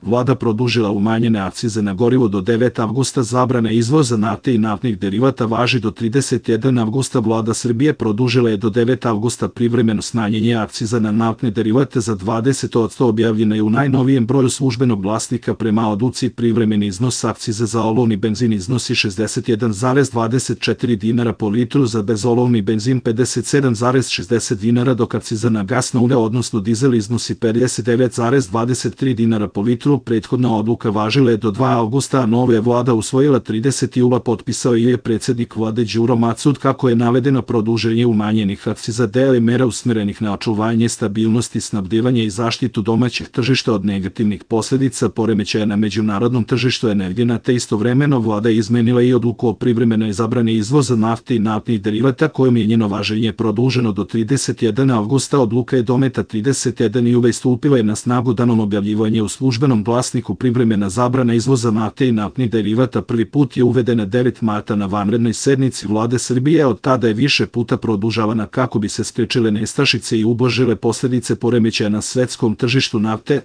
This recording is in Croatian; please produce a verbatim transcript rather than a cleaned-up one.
Vlada produžila umanjene akcize na gorivo do devetog avgusta, zabrana izvoza nafte i naftnih derivata važi do tridesetog prvog avgusta. Vlada Srbije produžila je do devetog avgusta privremeno smanjenje akciza na naftne derivate za dvadeset posto, objavljena je u najnovijem broju Službenog glasnika. Prema odluci privremeni iznos akcize za olovni benzin iznosi šezdeset jedan zarez dvadeset četiri dinara po litru, za bezolovni benzin pedeset sedam zarez šezdeset dinara, dok akciza na gasno ulje odnosno dizel iznosi pedeset devet zarez dvadeset tri dinara po litru. Prethodna odluka važila je do drugog avgusta, a novu je Vlada usvojila tridesetog jula, potpisao je predsjednik Vlade Đuro Macud. Kako je navedeno, produženje umanjenih akciza deo je mera usmerenih na očuvanje stabilnosti snabdevanja i zaštitu domaćih tržišta od negativnih posljedica poremećaja na međunarodnom tržištu energenata. Istovremeno Vlada je izmenila i odluku o privremenoj zabrani izvoza nafte i naftnih derivata, kojom je njeno važenje produženo do tridesetog prvog avgusta. Odluka je doneta tridesetog prvog jula i stupila je na snagu danom objavljivanja u Službenom glasniku. Privremena zabrana izvoza nafte i naftnih derivata prvi put je uvedena devetog marta na vanrednoj sednici Vlade Srbije. Od tada je više puta produžavana kako bi se sprečile nestašice i ublažile posljedice poremećaja na svetskom tržištu nafte.